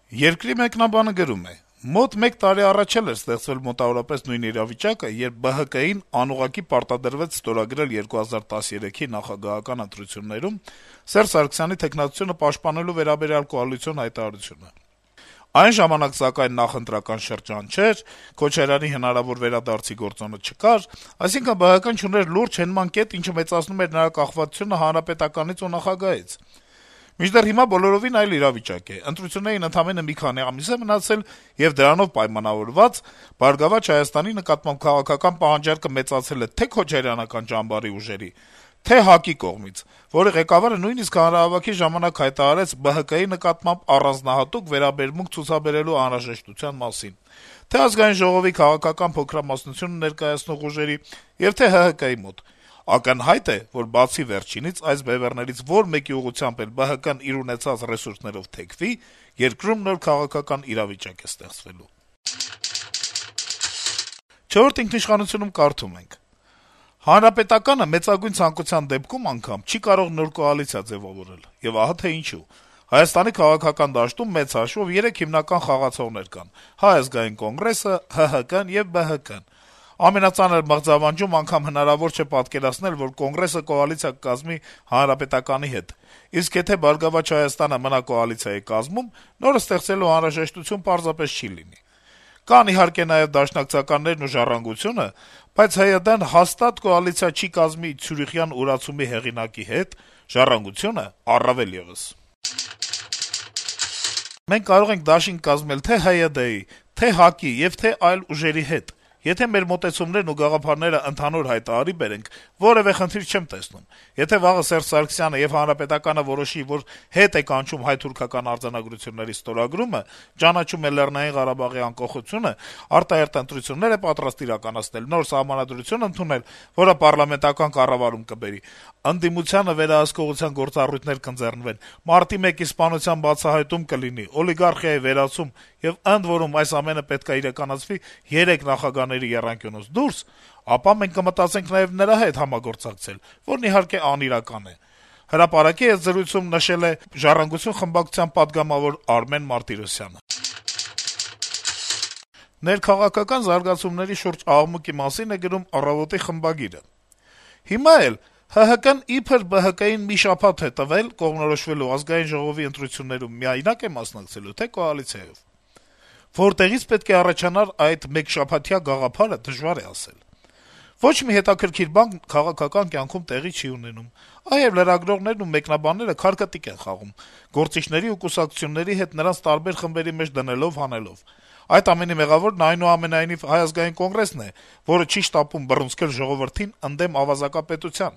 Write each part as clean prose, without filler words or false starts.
Երկրի մեկնաբանը գրում է. - «Մոտ 1 տարի առաջ էլ էր ստեղծվել մոտավորապես նույն իրավիճակը, երբ ԲՀԿ-ին անուղղակի պարտադրվեց ստորագրել 2013-ի նախագահական ընտրություններում Սերժ Սարգսյանի թեկնածությունը պաշտպանելու վերաբերյալ կոալիցիոն հայտարարությունը: Այն ժամանակ, սակայն, նախընտրական շրջան չէր, Քոչարյանի հնարավոր վերադարձի գործոնը չկար, այսինքն ԲՀԿ-ն չուներ լուրջ հենման կետ, ինչը մեծացնում էր նրա կախվածությունը Հանրապետականից ու նախագահից: Մինչդեռ հիմա բոլորովին այլ իրավիճակ է. ընտրություններին ընդամենը մի քանի ամիս է մնացել, եւ դրանով պայմանավորված «Բարգավաճ Հայաստանի» նկատմամբ քաղաքական պահանջարկը մեծացել է թե քոչարյանական ճամբարի ուժերի, թե ՀԱԿ-ի կողմից, որի ղեկավարը նույնիսկ հանրահավաքի ժամանակ հայտարարեց ԲՀԿ-ի նկատմամբ առանձնահատուկ վերաբերմունք ցուցաբերելու անհրաժեշտության մասին, թե Ազգային ժողովի քաղաքական փոքրամասնությունը ներկայացնող ուժերի եւ թե ՀՀԿ-ի մոտ: Ակնհայտ է, որ բացի վերջինից, այս բեւեռներից որ մեկի ուղղությամբ էլ ԲՀԿ-ն իր ունեցած ռեսուրսներով թեքվի, երկրում նոր քաղաքական իրավիճակ է ստեղծվելու»: «Չորրորդ ինքնիշխանություն»-ում կարդում ենք. - «Հանրապետականը մեծագույն ցանկության դեպքում անգամ չի կարող նոր կոալիցիա ձեւավորել, եւ ահա թե ինչու: Հայաստանի քաղաքական դաշտում մեծ հաշվով 3 հիմնական խաղացողներ կան` Հայ ազգային կոնգրեսը, ՀՀԿ-ն եւ ԲՀԿ-ն: Ամենածանր մղձավանջում անգամ հնարավոր չէ պատկերացնել, որ Կոնգրեսը կոալիցիա կկազմի ՀՀԿ-ի հետ, իսկ եթե «Բարգավաճ Հայաստանը» մնա կոալիցիայի կազմում, նորը ստեղծելու անհրաժեշտություն պարզապես չի լինի: Կան, իհարկե, նաեւ դաշնակցականներն ու «Ժառանգությունը», բայց ՀՅԴ-ն հաստատ կոալիցիա չի կազմի Ցյուրիխյան ուրացումի հեղինակի հետ, «Ժառանգությունը» առավել եւս: Մենք կարող ենք դաշինք կազմել թե ՀՅԴ-ի, թե ՀԱԿ-ի եւ թե այլ ուժերի հետ: Եթե մեր մոտեցումներն ու գաղափարները ընդհանուր հայտարարի բերենք, որեւէ խնդիր չեմ տեսնում: Եթե վաղը Սերժ Սարգսյանը եւ Հանրապետականը որոշի, որ հետ է կանչում հայ-թուրքական արձանագրությունների ստորագրումը, ճանաչում է Լեռնային Ղարաբաղի անկախությունը, արտահերթ ընտրություններ է պատրաստ իրականացնել, նոր Սահմանադրություն ընդունել, որը պառլամենտական կառավարում կբերի, ընդդիմությանը վերահսկողության գործառույթներ կընձեռնվեն, Մարտի 1-ի սպանության բացահայտում կլինի, օլիգարխիայի վերացում եւ ընդ որում այս ամենը պետք է իրականացվի 3 նախագահների եռանկյունուց դուրս, ապա մենք կմտածենք նաեւ նրա հետ համագործակցել, որն իհարկե անիրական է», - «Հրապարակ»-ի հետ զրույցում նշել է «Ժառանգություն» խմբակցության պատգամավոր Արմեն Մարտիրոսյանը: Ներքաղաքական զարգացումների շուրջ աղմուկի մասին է գրում «Առավոտ»-ի խմբագիրը. - «Հիմա էլ ՀՀԿ-ն իբր ԲՀԿ-ին մի շաբաթ է տվել կողմնորոշվելու Ազգային ժողովի ընտրություններում միայնակ է մասնակցելու, թե կոալիցիայով: Որտեղից պետք է առաջանար այդ մեկշաբաթյա գաղափարը, դժվար է ասել: Ոչ մի հետաքրքիր բան քաղաքական կյանքում տեղի չի ունենում: Այ եւ լրագրողներն ու մեկնաբանները քարկտիկ են խաղում` գործիչների ու կուսակցությունների հետ նրանց տարբեր խմբերի մեջ դնելով-հանելով: Այդ ամենի մեղավորն, այնուամենայնիվ, Հայ ազգային կոնգրեսն է, որը չի շտապում բռունցքել ժողովրդին ընդդեմ ավազակապետության: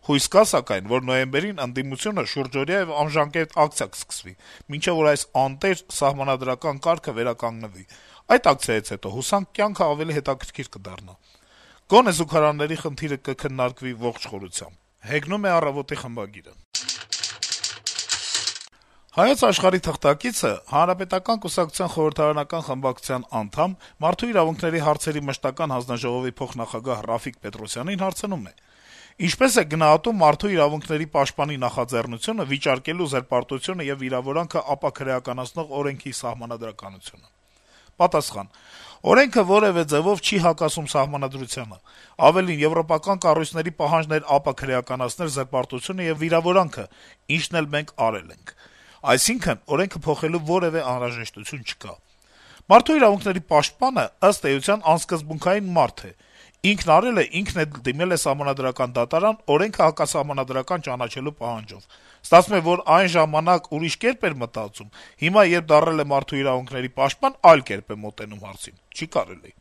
Հույս կա, սակայն, որ նոյեմբերին ընդդիմությունը շուրջօրյա եւ անժամկետ ակցիա կսկսվի, մինչեւ որ այս անտեր սահմանադրական կարգը վերականգնվի: Այդ ակցիայից հետո, հուսանք, կյանքը ավելի հետաքրքիր կդառնա: Գոնե զուգարանների խնդիրը կքննարկվի ողջ խորությամբ»: «Հայոց Աշխարհ»-ի թղթակիցը Հանրապետական կուսակցության խորհրդարանական խմբակցության անդամ, Մարդու իրավունքների հարցերի մշտական հանձնաժողովի փոխնախագահ Ռաֆիկ Պետրոսյանին հարցնում է. - «Ինչպե՞ս եք գնահատում Մարդու իրավունքների պաշտպանի նախաձեռնությունը վիճարկելու զրպարտությունը եւ վիրավորանքը ապաքրեականացնող օրենքի սահմանադրականությունը»: Պատասխան. - «Օրենքը որեւէ ձեւով չի հակասում Սահմանադրությանը: Ավելին, եվրոպական կառույցների պահանջն էր ապաքրեականացնել զրպարտությունը եւ վիրավորանքը, ինչն էլ մենք արել ենք: Այսինքն, օրենքը փոխելու որեւէ անհրաժեշտություն չկա: Մարդու իրավունքների պաշտպանը, ըստ էության, անսկզբունքային մարդ է: Ինքն արել է, ինքն էլ դիմել է Սահմանադրական դատարան օրենքը հակասահմանադրական ճանաչելու պահանջով: Ստացվում է, որ այն ժամանակ ուրիշ կերպ էր մտածում, հիմա, երբ դառել է մարդու իրավունքների պաշտպան, այլ կերպ է մոտենում հարցին: Չի կարելի»: